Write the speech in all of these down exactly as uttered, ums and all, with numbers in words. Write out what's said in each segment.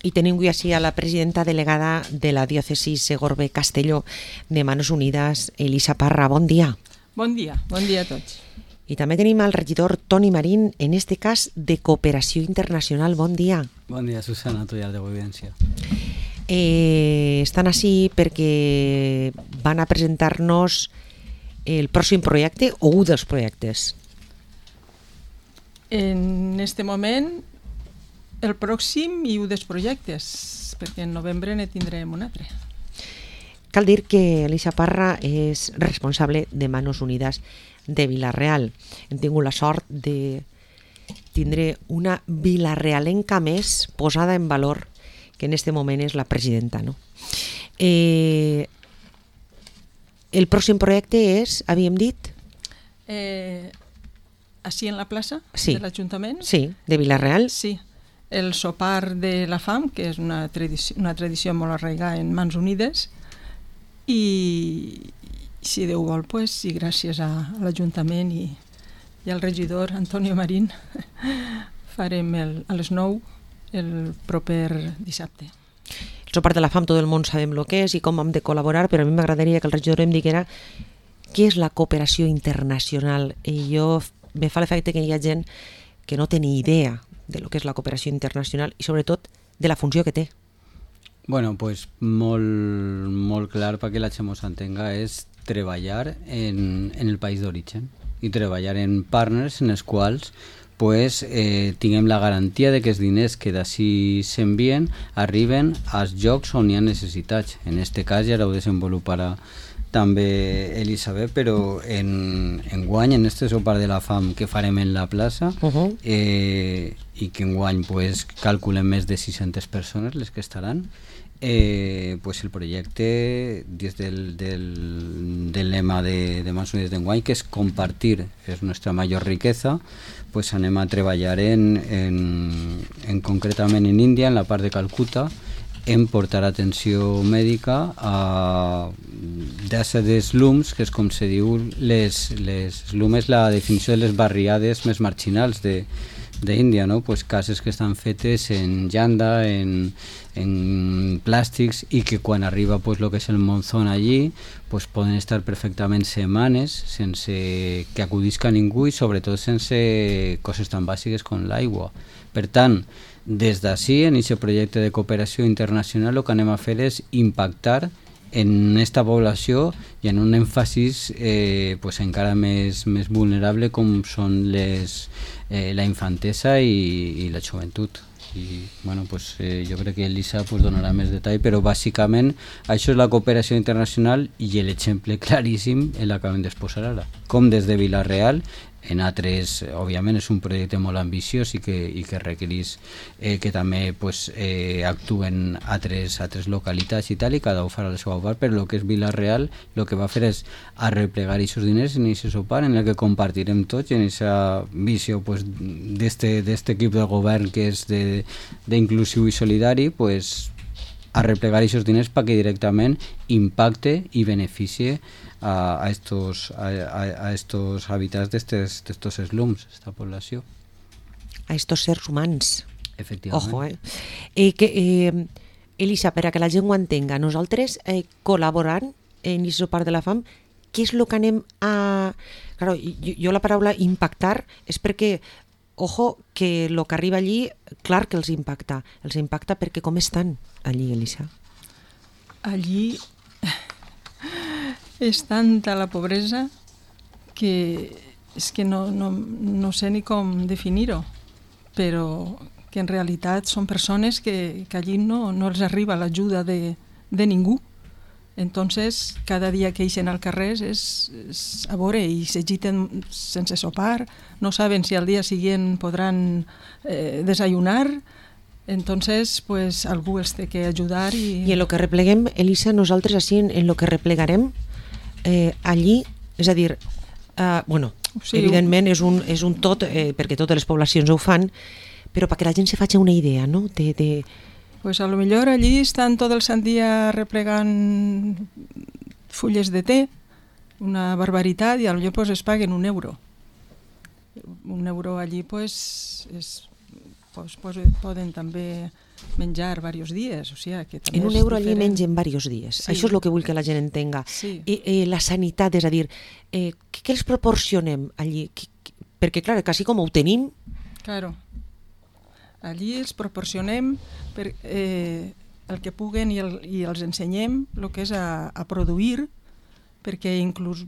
I tenim avui així a la presidenta delegada de la diòcesi Segorbe-Castelló de Manos Unides, Elisa Parra. Bon dia. Bon dia, bon dia a tots. I també tenim el regidor Toni Marín, en este cas de Cooperació Internacional. Bon dia. Bon dia, Susana, tu ja de Evidència. Eh, estan així perquè van a presentar-nos el pròxim projecte o un dels projectes. En este moment, el pròxim i un dels projectes, perquè en novembre ne tindrem un altre. Cal dir que Elisa Parra és responsable de Manos Unides de Vila-real. Hem tingut la sort de tindre una vilarealenca més posada en valor, que en este moment és la presidenta, no? Eh, el pròxim projecte és, havíem dit? Eh, així en la plaça sí. de l'Ajuntament? Sí, de Vila-real. Sí, el sopar de la fam, que és una tradició, una tradició molt arraigada en Mans Unides, i si Déu vol, pues, i gràcies a, a l'Ajuntament i, i al regidor Antonio Marín farem el, a les nou el proper dissabte. El sopar de la fam, tot el món sabem el que és i com hem de col·laborar, però a mi m'agradaria que el regidor em diguera què és la cooperació internacional. I jo me fa l'efecte que hi ha gent que no té ni idea de lo que és la cooperació internacional i sobretot de la funció que té. Bueno, pues molt, molt clar perquè la gent s'entenga és treballar en, en el país d'origen i treballar en partners en els quals pues, eh, tinguem la garantia de que els diners que d'ací s'envien arriben als llocs on hi ha necessitats. En aquest cas ja ho desenvoluparà també Elisabet, però en, en guany, en este sopar de la fam que farem en la plaça, uh-huh. eh, i que en guany pues, calculem més de sis-centes persones les que estaran, eh, pues el projecte des del, del, del lema de, de Mans Unides d'enguany, que és compartir, és nostra major riquesa, pues anem a treballar en, en, en concretament en Índia, en la part de Calcuta, en portar atenció mèdica a d'ésser de slums, que és com se diu, les, les slums és la definició de les barriades més marginals de d'Índia, no? Pues cases que estan fetes en llanda, en, en plàstics i que quan arriba pues, lo que és el monzón allí pues, poden estar perfectament setmanes sense que acudisca ningú i sobretot sense coses tan bàsiques com l'aigua. Per tant, des d'ací, en aquest projecte de cooperació internacional, el que anem a fer és impactar en aquesta població i en un èmfasis eh, pues encara més, més vulnerable com són les, eh, la infantesa i, i la joventut. I, bueno, pues, eh, jo crec que Elisa pues, donarà més detall, però bàsicament això és la cooperació internacional i l'exemple claríssim el acabem d'exposar ara. Com des de Vila-real, en altres, òbviament és un projecte molt ambiciós i que, i que requereix eh, que també pues, eh, actuen altres, altres localitats i tal, i cada un farà la seva part, però el que és Vila-real el que va fer és arreplegar aquests diners en aquest sopar en el que compartirem tots en aquesta visió pues, d'este equip de govern que és d'inclusiu i solidari, pues, arreplegar aquests diners perquè directament impacte i beneficie a, a, estos, a, a estos habitants d'estos slums, esta població. A estos sers humans. Efectivament. Ojo, eh? eh, que, eh Elisa, per a que la gent ho entenga, nosaltres eh, col·laborant en aquest sopar de la fam, què és el que anem a... Claro, jo, jo la paraula impactar és perquè, ojo, que el que arriba allí, clar que els impacta. Els impacta perquè com estan allí, Elisa? Allí és tanta la pobresa que és que no, no, no sé ni com definir-ho, però que en realitat són persones que, que allí no, no els arriba l'ajuda de, de ningú. Entonces, cada dia que ixen al carrer és, és a veure i s'agiten sense sopar, no saben si al dia següent podran eh, desayunar. Entonces, pues, algú els té que ajudar. I, I en lo que repleguem, Elisa, nosaltres així en, en lo que replegarem, eh, allí, és a dir, eh, bueno, sí, evidentment és un, és un tot, eh, perquè totes les poblacions ho fan, però perquè la gent se faci una idea, no? De, de... Pues a lo millor allí estan tot el sant dia replegant fulles de té, una barbaritat, i a lo millor pues, es paguen un euro. Un euro allí, pues, és... Pues, pues, poden també menjar diversos dies. O sigui, que també en un és euro allí diferent. mengen diversos dies. Sí. Això és el que vull que la gent entenga. Sí. I, eh, la sanitat, és a dir, eh, què, què els proporcionem allí? Qui, qui, perquè, clar, quasi com ho tenim... Claro. Allí els proporcionem per, eh, el que puguen i, el, i els ensenyem el que és a, a produir, perquè inclús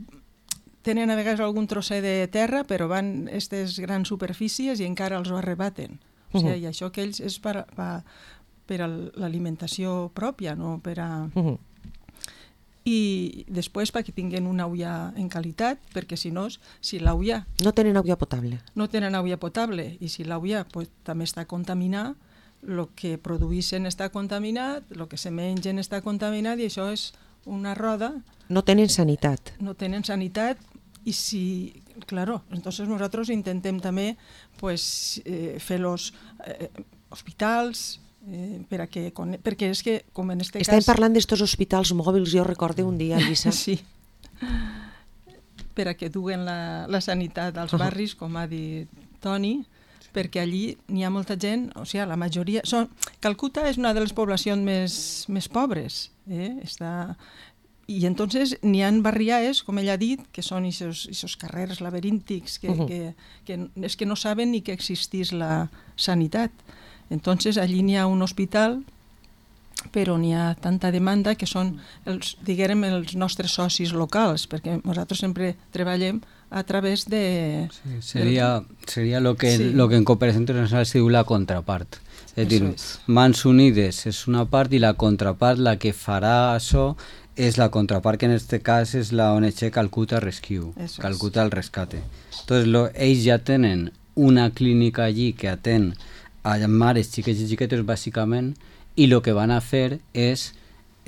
tenen a vegades algun trosset de terra, però van a aquestes grans superfícies i encara els ho arrebaten. O sigui, uh -huh. I això que ells és per, per, per a l'alimentació pròpia, no per a... Uh -huh. I després perquè tinguin una olla en qualitat, perquè si no, si l'olla... No tenen aigua potable. No tenen aigua potable, i si l'olla pues, també està contaminada, el que produeixen està contaminat, el que se mengen està contaminat, i això és una roda... No tenen sanitat. No tenen sanitat, i si... Claro, entonces nosotros intentem també pues, eh, fer los eh, hospitals... Eh, per a que, perquè és que com en este Estem cas... parlant d'estos hospitals mòbils, jo recorde un dia, Lisa. Sí, per a que duguen la, la sanitat als barris, com ha dit Toni, perquè allí n'hi ha molta gent, o sigui, la majoria... Són... Calcuta és una de les poblacions més, més pobres, eh? Està... I entonces n'hi ha barriaes, com ell ha dit, que són aquests carrers laberíntics que, uh -huh. que, que és que no saben ni que existís la sanitat. Entonces allí n'hi ha un hospital, però n'hi ha tanta demanda que són, els, diguem, els nostres socis locals, perquè nosaltres sempre treballem a través de... Sí, seria, del... seria lo que, sí. lo que en cooperació internacional se diu la contrapart. És dir, és. Mans Unides és una part i la contrapart, la que farà això, és la contrapart, que en este cas és la O N G Calcuta Rescue, eso Calcuta es. El Rescate. Entonces, lo, ells ja tenen una clínica allí que atén a mares xiquets i xiquetes bàsicament, i el que van a fer és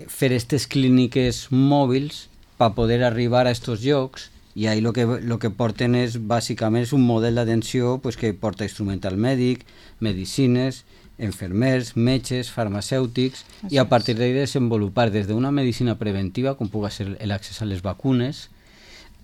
fer aquestes clíniques mòbils per poder arribar a aquests llocs, i ahí el que, lo que porten és bàsicament és un model d'atenció pues, que porta instrumental mèdic, medicines, enfermers, metges, farmacèutics, i a partir d'ahí desenvolupar des d'una medicina preventiva, com pugui ser l'accés a les vacunes,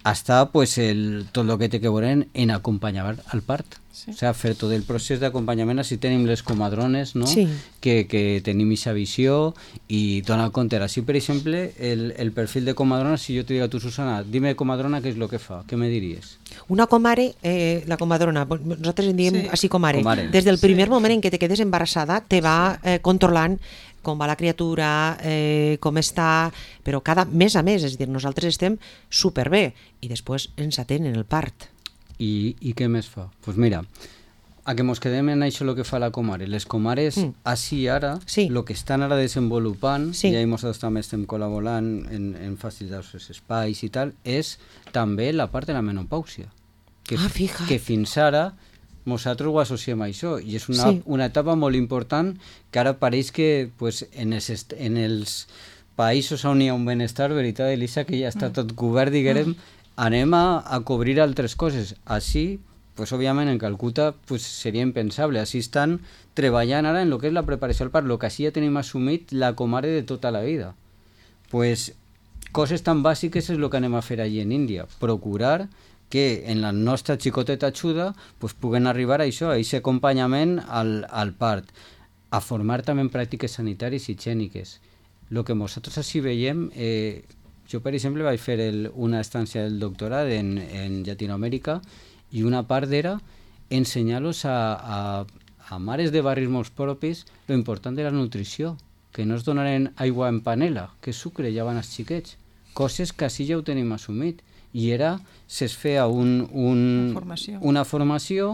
hasta pues, el, tot el que té que veure en acompanyar al part. Sí. O sigui, fer tot el procés d'acompanyament, així tenim les comadrones, no? Sí. que, que tenim aquesta visió i donar compte. Així, per exemple, el, el perfil de comadrona, si jo te dic a tu, Susana, dime comadrona què és el que fa, què me diries? Una comare, eh, la comadrona, nosaltres en diem sí. així comare. comare. Des del primer sí. moment en què te quedes embarassada, te va eh, controlant com va la criatura, eh, com està, però cada mes a mes, és a dir, nosaltres estem superbé i després ens atenen el part. I, i què més fa? Doncs pues mira, a que mos quedem en això el que fa la comare. Les comares, mm. així ara, el sí. que estan ara desenvolupant, sí. i ahí nosaltres també estem col·laborant en, en facilitar els espais i tal, és també la part de la menopàusia. Que, ah, fija. Que fins ara nosaltres ho associem a això, i és una, sí. una etapa molt important que ara pareix que pues, en, els, en els països on hi ha un benestar, veritat, Elisa, que ja està tot cobert, diguem, anem a, a cobrir altres coses. Així, pues, òbviament, en Calcuta pues, seria impensable. Així estan treballant ara en el que és la preparació al part, el que així ja tenim assumit la comare de tota la vida. Pues, coses tan bàsiques és el que anem a fer allí en Índia. Procurar que en la nostra xicoteta ajuda pues, puguen arribar a això, a aquest acompanyament al, al part, a formar també en pràctiques sanitàries i higièniques. El que nosaltres així veiem, eh, jo per exemple vaig fer el, una estància del doctorat en, en Llatinoamèrica i una part era ensenyar-los a, a, a mares de barris molt propis lo important de la nutrició, que no es donaren aigua en panela, que sucre ja van als xiquets, coses que així ja ho tenim assumit. I era, se'ls feia un, un, formació. una formació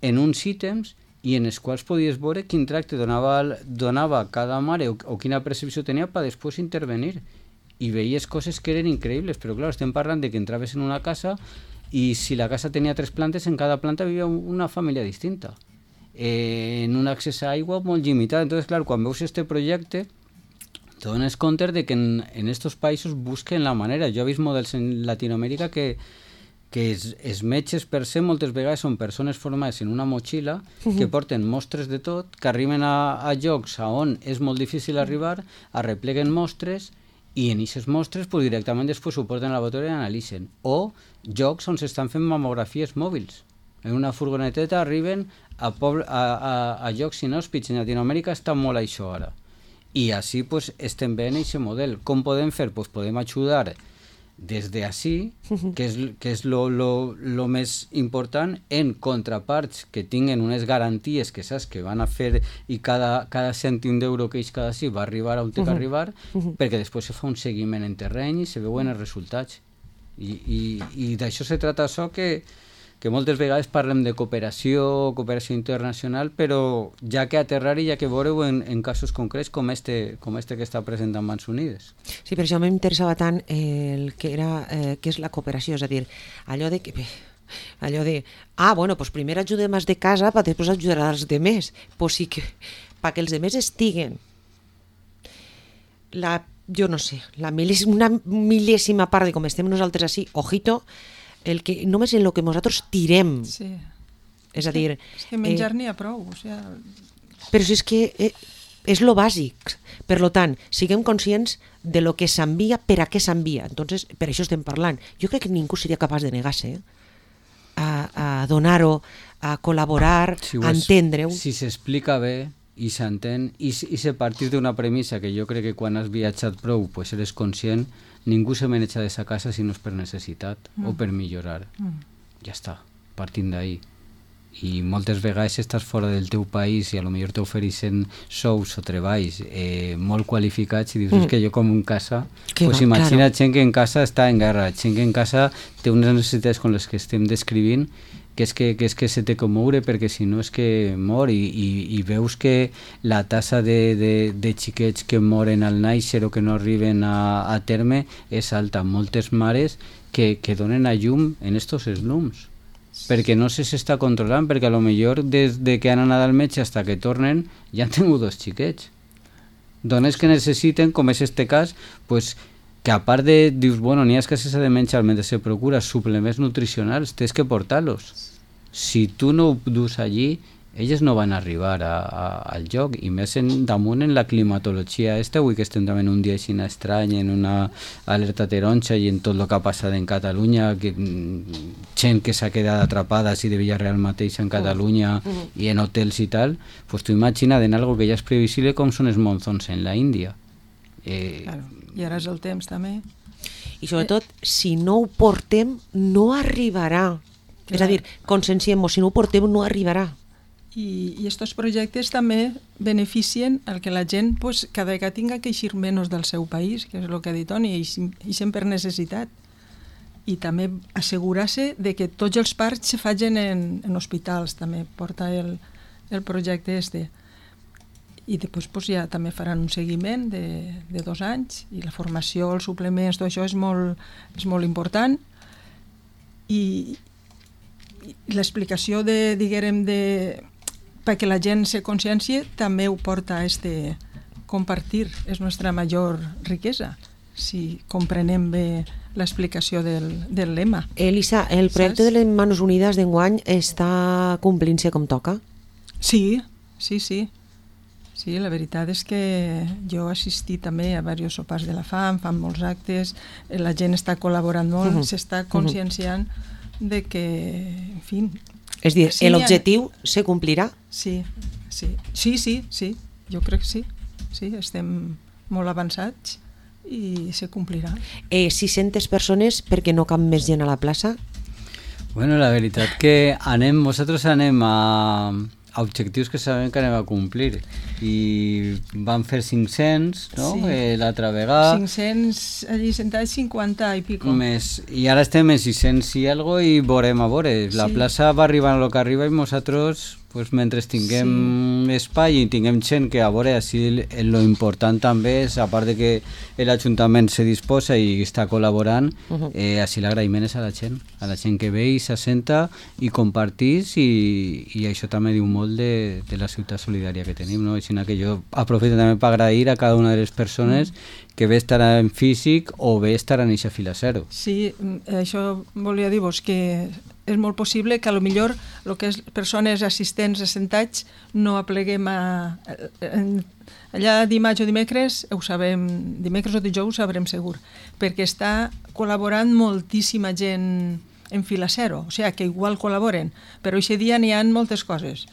en uns ítems i en els quals podies veure quin tracte donava, donava cada mare o, o quina percepció tenia per després intervenir. I veies coses que eren increïbles, però clar, estem parlant de que entraves en una casa i si la casa tenia tres plantes, en cada planta vivia una família distinta. Eh, en un accés a aigua molt limitat. Entonces, clar, quan veus este projecte, te dones compte de que en, en estos països busquen la manera. Jo he vist models en Latinoamèrica que, que els, els metges per se moltes vegades són persones formades en una motxilla uh-huh. que porten mostres de tot, que arriben a, a llocs on és molt difícil arribar, arrepleguen mostres i en aquestes mostres pues, directament després ho porten a la laboratori i analitzen. O jocs on s'estan fent mamografies mòbils. En una furgoneteta arriben a, poble, a, a, a llocs inhòspits. En Llatinoamèrica està molt això ara. I així pues, estem veient aquest model. Com podem fer? Pues podem ajudar des d'ací, que és, que és lo, lo, lo més important, en contraparts que tinguen unes garanties que saps que van a fer i cada, cada cèntim d'euro que ells cada sí va arribar on té que arribar, perquè després se fa un seguiment en terreny i se veuen els resultats. I, i, i d'això se trata això que, que moltes vegades parlem de cooperació, cooperació internacional, però ja que aterrar i ja que veure-ho en, en casos concrets com este, com este que està present en Mans Unides. Sí, per això m'interessava tant el que era, eh, que és la cooperació, és a dir, allò de que... allò de, ah, bueno, pues primer ajudem els de casa per després ajudar als demés. Pues sí que, perquè els demés estiguen la, jo no sé, la milés, una mil·lèsima part de com estem nosaltres així, ojito, el que només en el que nosaltres tirem. Sí. És a dir... És que menjar eh, n'hi ha prou. O sea... Però si és que eh, és lo bàsic. Per lo tant, siguem conscients de lo que s'envia, per a què s'envia. Entonces, per això estem parlant. Jo crec que ningú seria capaç de negar-se eh? a, a donar-ho, a col·laborar, si a entendre-ho. Si s'explica bé i s'entén, i, i se partir d'una premissa que jo crec que quan has viatjat prou pues eres conscient, ningú se maneja de sa casa si no és per necessitat mm. o per millorar. Mm. Ja està, partint d'ahí. I moltes vegades estàs fora del teu país i a lo millor t'ofereixen sous o treballs eh, molt qualificats i dius mm. que jo com en casa, que pues va, imagina claro. Gent que en casa està en guerra, gent que en casa té unes necessitats com les que estem descrivint, que és que, que, és que se té que moure perquè si no és que mor i, i, i veus que la tassa de, de, de xiquets que moren al nàixer o que no arriben a, a terme és alta. Moltes mares que, que donen a llum en estos slums perquè no se s'està controlant, perquè a lo millor des de que han anat al metge fins que tornen ja han tingut dos xiquets. Dones que necessiten, com és este cas, pues, que a part de, dius, bueno, n'hi ha que s'ha de menjar mentre se procura suplements nutricionals, tens que portar-los. Si tu no ho dus allí, elles no van arribar a, a, al lloc, i més en, damunt en la climatologia esta, avui que estem també en un dia així estrany, en una alerta taronja i en tot el que ha passat en Catalunya, que, gent que s'ha quedat atrapada així de Villarreal mateix en Catalunya uh -huh. i en hotels i tal, pues tu imagina't en algo que ja és previsible com són els monzons en la Índia. Eh, claro. I ara és el temps també. I sobretot, eh. si no ho portem, no arribarà. Clar. És a dir, conscienciem-nos, si no ho portem, no arribarà. I, i estos projectes també beneficien el que la gent pues, cada vegada tinga que eixir menys del seu país, que és el que ha dit Toni, i eixen per necessitat. I també assegurar-se de que tots els parts se facin en, en hospitals, també porta el, el projecte este. I després pues, ja també faran un seguiment de, de dos anys i la formació, els suplements, tot això és molt, és molt important. I, i l'explicació de, diguem, de, perquè la gent se consciencie també ho porta a este compartir, és nostra major riquesa, si comprenem bé l'explicació del, del lema. Elisa, el projecte Saps? de les Manos Unides d'enguany està complint-se com toca? Sí, sí, sí. Sí, la veritat és que jo he assistit també a diversos sopars de la fam, fan molts actes, la gent està col·laborant molt, uh-huh. s'està conscienciant uh-huh. de que, en fi... És dir, sí, l'objectiu ha... se complirà? Sí, sí, sí, sí, sí, jo crec que sí, sí, estem molt avançats i se complirà. Eh, sis-centes persones perquè no cap més gent a la plaça? Bueno, la veritat que anem, nosaltres anem a... a objectius que sabem que anem a complir i van fer cinc-cents no? Sí. Eh, l'altra vegada cinc-cents allí sentats, cinquanta i pico més, i ara estem en sis-cents i algo i veurem a veure, la sí. plaça va arribar a lo que arriba i nosaltres pues, mentre tinguem sí. espai i tinguem gent que a veure, així lo important també és, a part de que l'Ajuntament se disposa i està col·laborant, uh-huh. eh, així l'agraïment és a la gent, a la gent que ve i s'assenta i compartís i, i això també diu molt de, de la ciutat solidària que tenim, no? Així que jo aprofito també per agrair a cada una de les persones uh-huh. que ve estar en físic o ve estar en eixa fila zero. Sí, això volia dir-vos que és molt possible que a lo millor el que és persones assistents assentats no apleguem a... allà dimarts o dimecres ho sabem, dimecres o dijous ho sabrem segur, perquè està col·laborant moltíssima gent en fila zero, o sigui que igual col·laboren, però aquest dia n'hi ha moltes coses.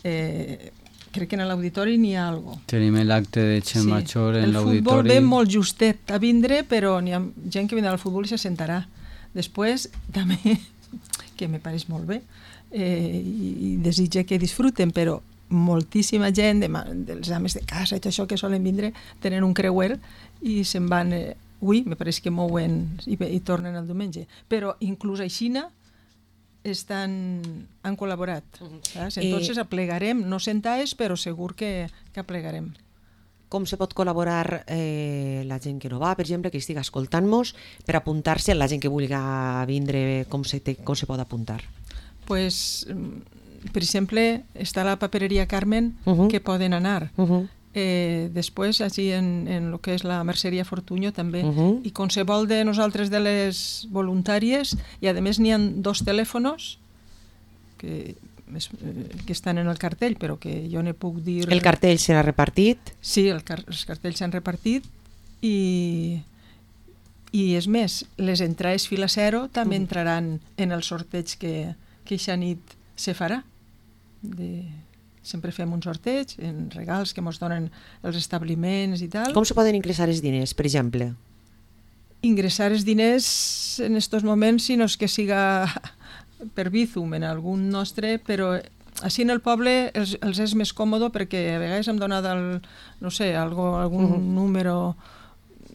Eh, crec que en l'auditori n'hi ha alguna cosa. Tenim l'acte de Xemachor sí. en l'auditori. El futbol ve molt justet a vindre, però n'hi ha gent que vindrà al futbol i se sentarà. Després, també, que me pareix molt bé, eh, i desitge que disfruten, però moltíssima gent, de, dels ames de casa i tot això que solen vindre, tenen un creuer i se'n van, eh, ui, me pareix que mouen i, i tornen el diumenge. Però inclús aixina estan, han col·laborat. Saps? Entonces aplegarem, no sentaes, però segur que, que aplegarem. Com se pot col·laborar eh, la gent que no va, per exemple, que estigui escoltant-nos, per apuntar-se, la gent que vulgui vindre, com se, te, com se pot apuntar? Pues, per exemple, està la papereria Carmen, uh -huh. que poden anar. Uh -huh. Eh, després, així en, en el que és la Merceria Fortuño també, uh -huh. i qualsevol de nosaltres de les voluntàries, i a més n'hi ha dos telèfons que, que estan en el cartell, però que jo ne puc dir... El cartell serà repartit? Sí, el car els cartells s'han repartit, i, i és més, les entrades fila zero també uh -huh. entraran en el sorteig que, que eixa nit se farà. De... Sempre fem un sorteig en regals que ens donen els establiments i tal. Com se poden ingressar els diners, per exemple? Ingressar els diners en aquests moments, si no és que siga per Bizum en algun nostre, però així en el poble els, els és més còmode perquè a vegades hem donat el, no sé, algo, algun uh-huh. número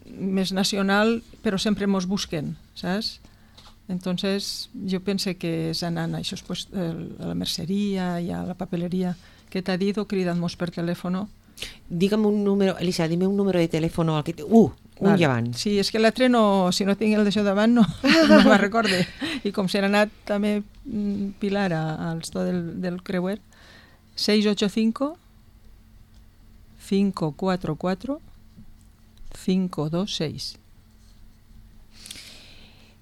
més nacional, però sempre mos busquen, saps? Entonces jo penso que és anant a, això, pues, a la merceria i a la papeleria que t'ha dit o cridant-nos per telèfon. Digue'm un número, Elisa, dime un número de telèfon al que... Uh, un vale. Llevant. Sí, és que l'altre no, si no tinc el d'això davant no, no me'n recorde. I com se n'ha anat també Pilar al store del, del creuer, seis ocho cinco, cinco cuatro cuatro, cinco dos seis.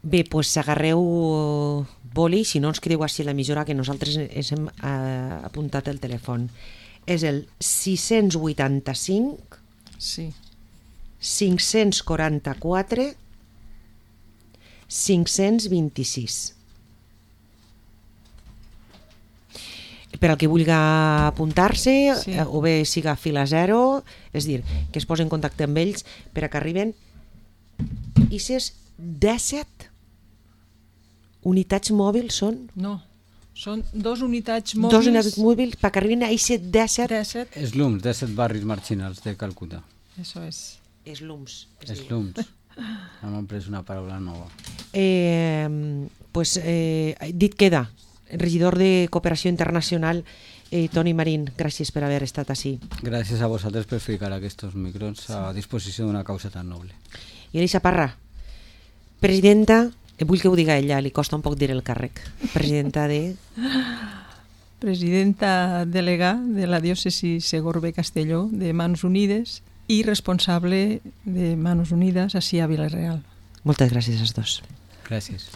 Bé, doncs agarreu boli, si no ens quedeu així a l'emissora, que nosaltres ens hem eh, apuntat el telèfon. És el sis vuitanta-cinc sí. cinc quaranta-quatre cinc vint-i-sis. Per al que vulgui apuntar-se, sí. eh, o bé siga fila zero, és dir, que es posi en contacte amb ells per a que arriben i ses disset unitats mòbils són? No, són dos unitats mòbils. Dos unitats mòbils perquè arribin a aquests disset... Slums, disset barris marginals de Calcuta. Eso és. Slums. Slums. Hem pres una paraula nova. Eh, pues, eh, dit queda, regidor de Cooperació Internacional, eh, Toni Marín, gràcies per haver estat així. Gràcies a vosaltres per ficar aquests microns a disposició d'una causa tan noble. I Elisa Parra, presidenta, vull que ho diga ella, li costa un poc dir el càrrec, presidenta de... Presidenta delegà de la diòcesi Segorbe-Castelló de Mans Unides i responsable de Mans Unides ací a Vila-real. Moltes gràcies als dos. Gràcies.